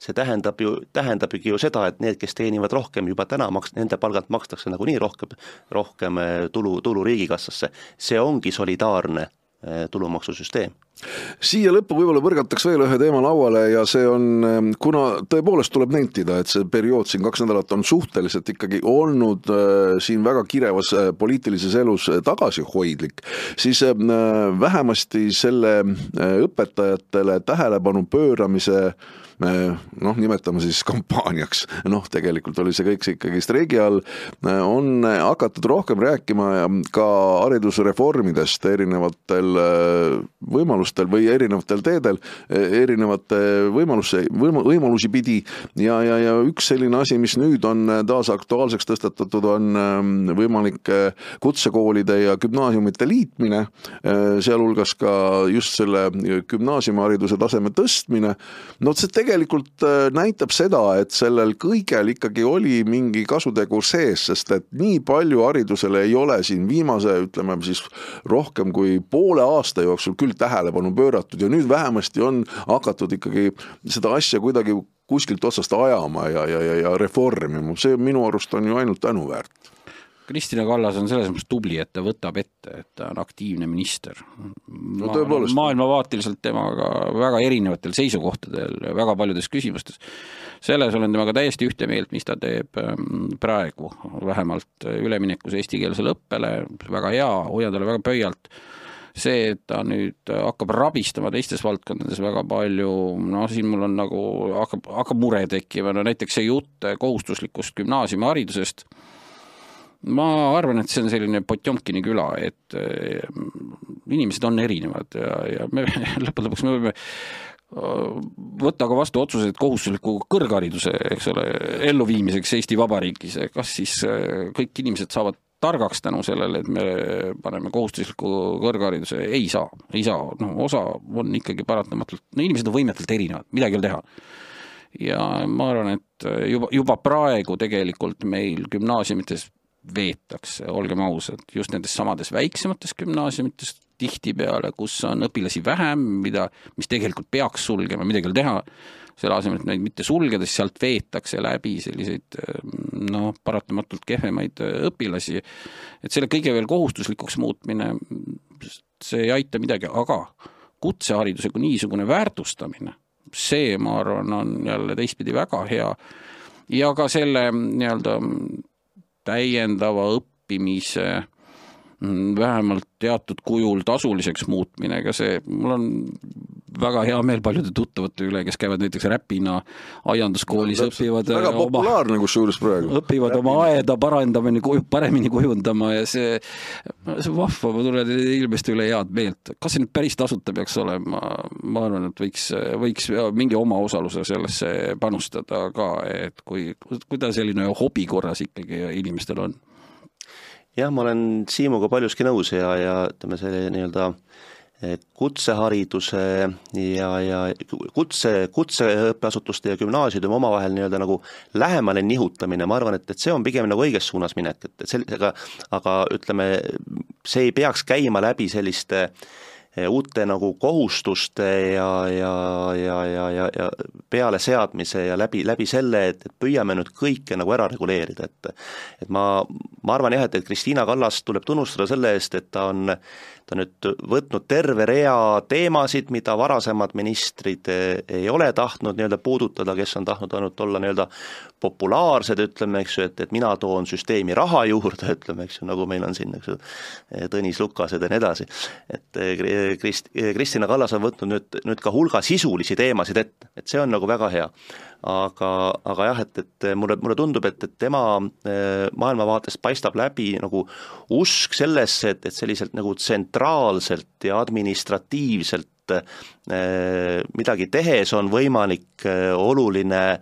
see tähendabki ju seda, et need, kes teenivad rohkem juba täna, nende palgalt makstakse nagunii rohkem tulu riigikassasse. See ongi solidaarne tulumaksusüsteem. Siia lõppu võib-olla põrgataks veel ühe teema lauale ja see on, kuna tõepoolest tuleb nentida, et see periood siin 2 nädalat on suhteliselt ikkagi olnud siin väga kirevas poliitilises elus tagasihoidlik, siis vähemasti selle õpetajatele tähelepanu pööramise nimetame siis kampaaniaks, tegelikult oli see kõik ikkagi streigi all, on hakatud rohkem rääkima ka haridusreformidest erinevatel võimalustel või erinevatel teedel, erinevate võimalusi pidi ja üks selline asi, mis nüüd on taas aktuaalseks tõstatatud, on võimalik kutsekoolide ja gümnaasiumite liitmine, sealhulgas ka just selle gümnaasiumihariduse taseme tõstmine. See tegelikult näitab seda, et sellel kõigel ikkagi oli mingi kasutegur sees, sest et nii palju haridusele ei ole siin viimase, ütleme siis rohkem kui poole aasta jooksul küll tähelepanu pööratud ja nüüd vähemasti on hakatud ikkagi seda asja kuidagi kuskilt otsast ajama ja reformima, see minu arust on ju ainult tänuväärt. Kristina Kallas on selles mõttes tubli, et ta võtab ette, et ta on aktiivne minister. Maailmavaatiliselt temaga väga erinevatel seisukohtadel, väga paljudes küsimustes. Selles olen temaga täiesti ühte meelt, mis ta teeb praegu, vähemalt üleminekus eestikeelsele õppele, väga hea, hoian talle väga pöialt. See, et ta nüüd hakkab rabistama teistes valdkondades väga palju, siin mul on nagu, hakkab mure tekkima, näiteks see jutt kohustuslikust gümnaasiumiharidusest. Ma arvan, et see on selline Potjomkini küla, et inimesed on erinevad ja me lõpuks me võime võtta ka vastu otsused kohustusliku kõrghariduse, eks ole, elluviimiseks Eesti Vabariigis, kas siis kõik inimesed saavad targaks tänu sellele, et me paneme kohustusliku kõrghariduse, ei saa, osa on ikkagi paratamatult, inimesed on võimetelt erinevad, midagi ei teha. Ja ma arvan, et juba praegu tegelikult meil gümnaasiumites veetakse, olgem ausad, just nendes samades väiksemates gümnaasiumites tihtipeale, kus on õpilasi vähem, mis tegelikult peaks sulgema, midagi ei teha, selle asemel, et neid mitte sulgedes, sealt veetakse läbi selliseid paratamatult kehvemaid õpilasi, et selle kõige veel kohustuslikuks muutmine, see ei aita midagi, aga kutsehariduse kui niisugune väärtustamine, see, ma arvan, on jälle teistpidi väga hea ja ka selle täiendava õppimise vähemalt teatud kujul tasuliseks muutmine, ega see, mul on väga hea meel paljude tuttavate üle, kes käivad näiteks Räpina aianduskoolis, õpivad väga populaarne kusjuures praegu. Õpivad oma aeda paremini kujundama ja see vahva, ma tulen ilmesti üle head meelt. Kas see nüüd päris tasuta peaks olema? Ma arvan, et võiks mingi oma osaluse sellesse panustada ka, et kui ta selline hobi korras ikkagi inimestel on. Jah, ma olen Siimuga paljuski nõus ja ütleme see kutsehariduse ja kutseõppeasutuste ja gümnaasiumi omavahel nagu lähemale nihutamine, ma arvan, et see on pigem nagu õiges suunas minek, aga ütleme, see ei peaks käima läbi selliste uute nagu kohustuste ja peale seadmise ja läbi selle, et püüame nüüd kõike nagu ära reguleerida, et ma arvan jah, et Kristina Kallas tuleb tunnustada selle eest, et ta nüüd võtnud terve rea teemasid, mida varasemad ministrid ei ole tahtnud puudutada, kes on tahtnud ainult olla populaarsed, ütleme, eks ju, et mina toon süsteemi raha juurde, ütleme, eks ju, nagu meil on siin, eks ju, Tõnis Lukased ja nii edasi. Et Kristina Kallas on võtnud nüüd ka hulga sisulisi teemasid ette, et see on nagu väga hea. Aga jah, et mulle tundub, et tema maailmavaatest paistab läbi nagu usk sellesse, et selliselt nagu tsentraalselt ja administratiivselt midagi tehes on võimalik oluline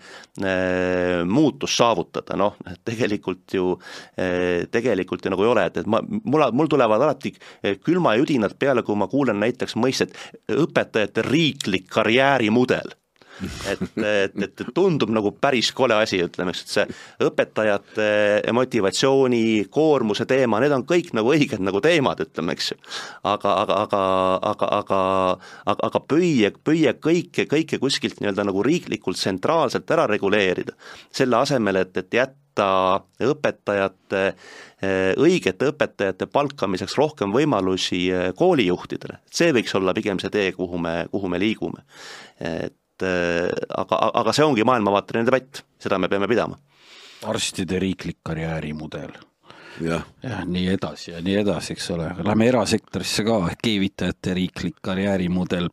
muutus saavutada, tegelikult ju nagu ei ole, et mul tulevad alati külma judinad peale, kui ma kuulen näiteks mõistet õpetajate riiklik karjäärimudel. Et tundub nagu päris kole asi, ütleme, et see õpetajate motivatsiooni, koormuse teema, need on kõik nagu õiged nagu teemad, ütleme, eks ju. Aga püüe kõike kuskilt nagu riiklikult tsentraalselt ära reguleerida, selle asemel, et jätta õpetajate, õigete õpetajate palkamiseks rohkem võimalusi koolijuhtidele. See võiks olla pigem see tee, kuhu me liigume. Aga see ongi maailmavaateline debatt, seda me peame pidama. Arstide riiklik karjäärimudel. Ja, nii edasi, eks ole. Lähme erasektorisse ka, keevitajate riiklik karjäärimudel,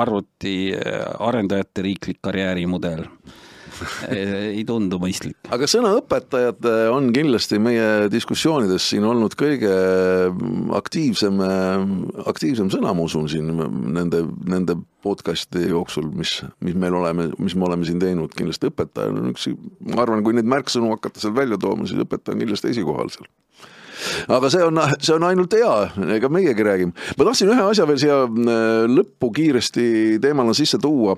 arvuti arendajate riiklik karjäärimudel. Ei tundu mõistlik. Aga sõna õpetajad on kindlasti meie diskussioonides siin olnud kõige aktiivsem sõna, ma usun siin nende podcasti jooksul, mis me oleme siin teinud, kindlasti õpetaja on üks, ma arvan, kui neid märksõnu hakata seal välja tooma, siis õpetaja on kindlasti esikohal seal. Aga see on ainult hea, ega meiegi räägime. Ma tahtsin ühe asja veel siia lõppu kiiresti teemana sisse tuua.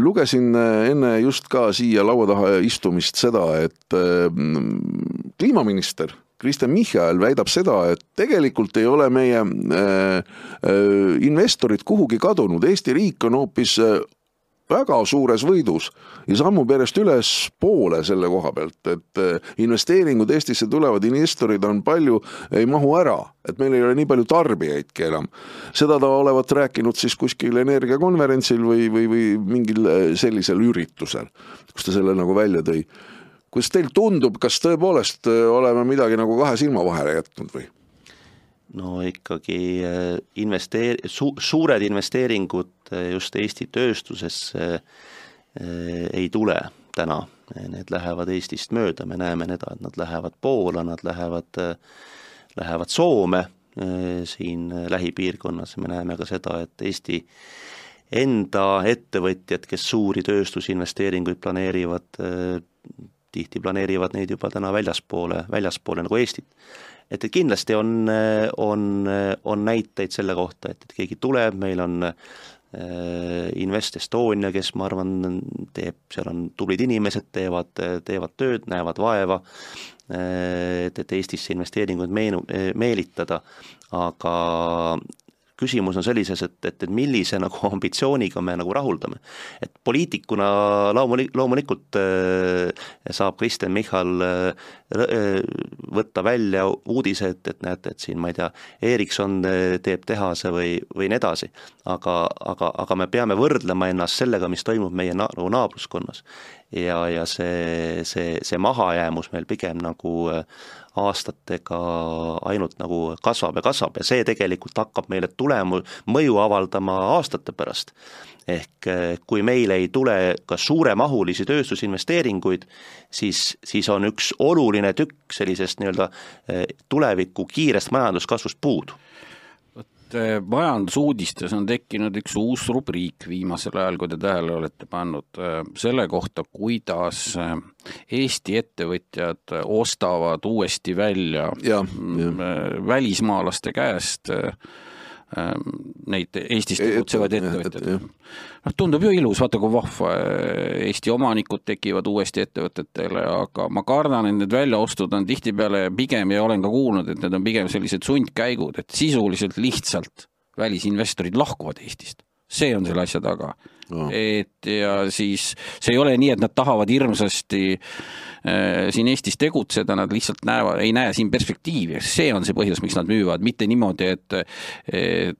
Lugesin enne just ka siia laua taha istumist seda, et kliimaminister Kristen Michal väidab seda, et tegelikult ei ole meie investorid kuhugi kadunud. Eesti riik on hoopis väga suures võidus ja sammub järjest üles poole selle koha pealt, et investeeringud Eestisse tulevad, investorid on palju, ei mahu ära, et meil ei ole nii palju tarbijaidki enam. Seda ta olevat rääkinud siis kuskil energiakonverentsil või mingil sellisel üritusel, kus ta selle nagu välja tõi. Kuidas teil tundub, kas tõepoolest oleme midagi nagu kahe silma vahele jätnud või? No ikkagi suured investeeringud just Eesti tööstusesse ei tule täna. Need lähevad Eestist mööda, me näeme neda, et nad lähevad Poola, nad lähevad Soome siin lähipiirkonnas. Me näeme ka seda, et Eesti enda ettevõtjad, kes suuri tööstusinvesteeringuid planeerivad, tihti planeerivad neid juba täna väljaspoole nagu Eestit. Et kindlasti on näiteid selle kohta, et keegi tuleb, meil on Invest Estonia, kes ma arvan seal on tublid inimesed, teevad tööd, näevad vaeva, et Eestisse investeeringuid meelitada, aga küsimus on sellises, et millise nagu ambitsiooniga me nagu rahuldame. Et poliitikuna loomulikult saab Kristen Michal võtta välja uudised, et näete, et siin, ma ei tea, Ericsson teeb tehase või nii edasi, aga me peame võrdlema ennast sellega, mis toimub meie naabruskonnas. Ja see mahajäämus meil pigem nagu aastatega ainult nagu kasvab ja see tegelikult hakkab meile mõju avaldama aastate pärast. Ehk kui meil ei tule ka suuremahulisi tööstusinvesteeringuid, siis on üks oluline tükk sellisest nii-öelda tuleviku kiirest majanduskasvust puudu. Majandusuudistes on tekkinud üks uus rubriik viimasel ajal, kui te tähele olete pannud selle kohta, kuidas Eesti ettevõtjad ostavad uuesti välja välismaalaste käest neid Eestis tegutsevad ettevõtjad. Tundub ju ilus, vaata kui vahva Eesti omanikud tekivad uuesti ettevõtetele, aga ma kardan, et need väljaostud on tihtipeale pigem ja olen ka kuulnud, et need on pigem sellised sundkäigud, et sisuliselt lihtsalt välisinvestorid lahkuvad Eestist. See on selle asja taga. Et ja siis see ei ole nii, et nad tahavad hirmsasti siin Eestis tegutseda, nad lihtsalt ei näe siin perspektiivi. See on see põhjus, miks nad müüvad, mitte niimoodi, et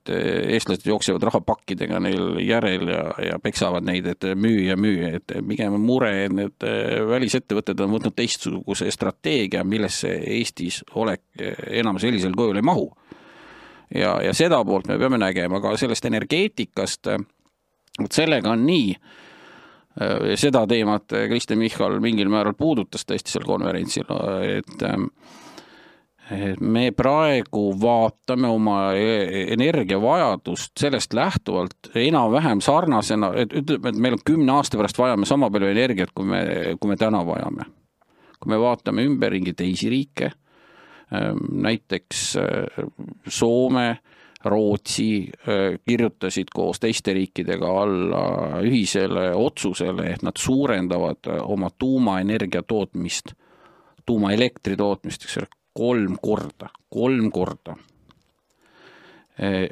eestlased jooksevad rahapakkidega neil järel ja peksavad neid, et müü, et pigem mure, et need välisettevõtted on võtnud teistsuguse strateegia, millesse Eestis enam sellisel kujul ei mahu. Ja seda poolt me peame nägema, aga sellest energeetikast, sellega on nii, seda teemat Kristen Michal mingil määral puudutas tõesti seal konverentsil, et me praegu vaatame oma energiavajadust sellest lähtuvalt enam-vähem sarnasena, et ütleme, et meil on 10 aasta pärast vajame sama palju energiat, kui me täna vajame. Kui me vaatame ümberringi teisi riike, näiteks Soome, Rootsi kirjutasid koos teiste riikidega alla ühisele otsusele, et nad suurendavad oma tuumaenergia tootmist, tuumaelektri tootmist 3 korda.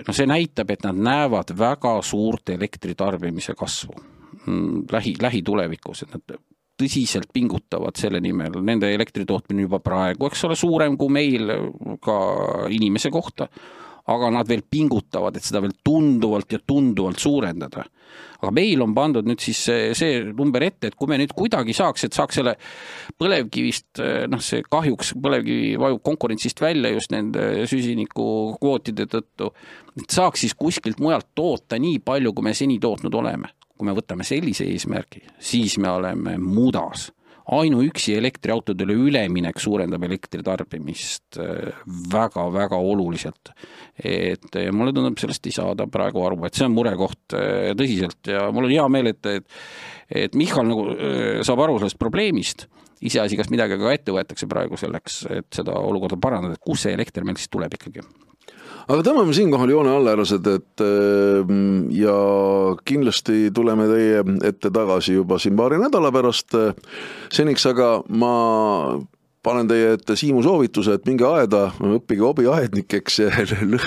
No see näitab, et nad näevad väga suurt elektritarbimise kasvu lähitulevikus, et nad tõsiselt pingutavad selle nimel. Nende elektritootmine juba praegu, eks ole, suurem kui meil ka inimese kohta, aga nad veel pingutavad, et seda veel tunduvalt suurendada. Aga meil on pandud nüüd siis see number ette, et kui me nüüd kuidagi saaks selle põlevkivist, see kahjuks põlevkivi vajub konkurentsist välja just nende süsiniku kvootide tõttu, et saaks siis kuskilt mujalt toota nii palju, kui me seni tootnud oleme. Kui me võtame sellise eesmärgi, siis me oleme mudas. Ainuüksi elektriautodele üleminek suurendab elektritarbimist väga oluliselt. Et mulle tundub, sellest ei saada praegu aru, et see on murekoht tõsiselt ja mul on hea meel, et Michal nagu saab aru sellest probleemist, iseasi, kas midagi ka ette võetakse praegu selleks, et seda olukorda parandada, et kus see elekter meil siis tuleb ikkagi. Aga tõmbame siinkohal joone allärased, et ja kindlasti tuleme teie ette tagasi juba siin paari nädala pärast seniks, aga ma panen teie ette Siimu soovituse, et minge aeda, õppige hobiaednikeks,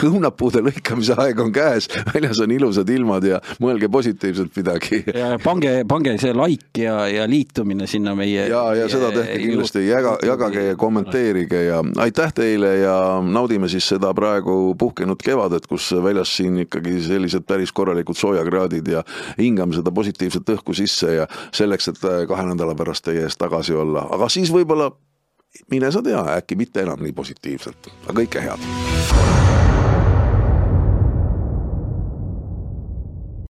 õunapuude lõikamise aeg on käes, väljas on ilusad ilmad ja mõelge positiivselt midagi. Ja pange see like ja liitumine sinna meie... Ja seda tehke kindlasti, jagage ja kommenteerige ja aitäh teile ja naudime siis seda praegu puhkenud kevadet, kus väljas siin ikkagi sellised päris korralikud soojakraadid ja hingame seda positiivset õhku sisse ja selleks, et 2 nädala pärast teie eest tagasi olla. Aga siis võib-olla, mine sa tea, äkki mitte enam nii positiivselt. Aga kõike head.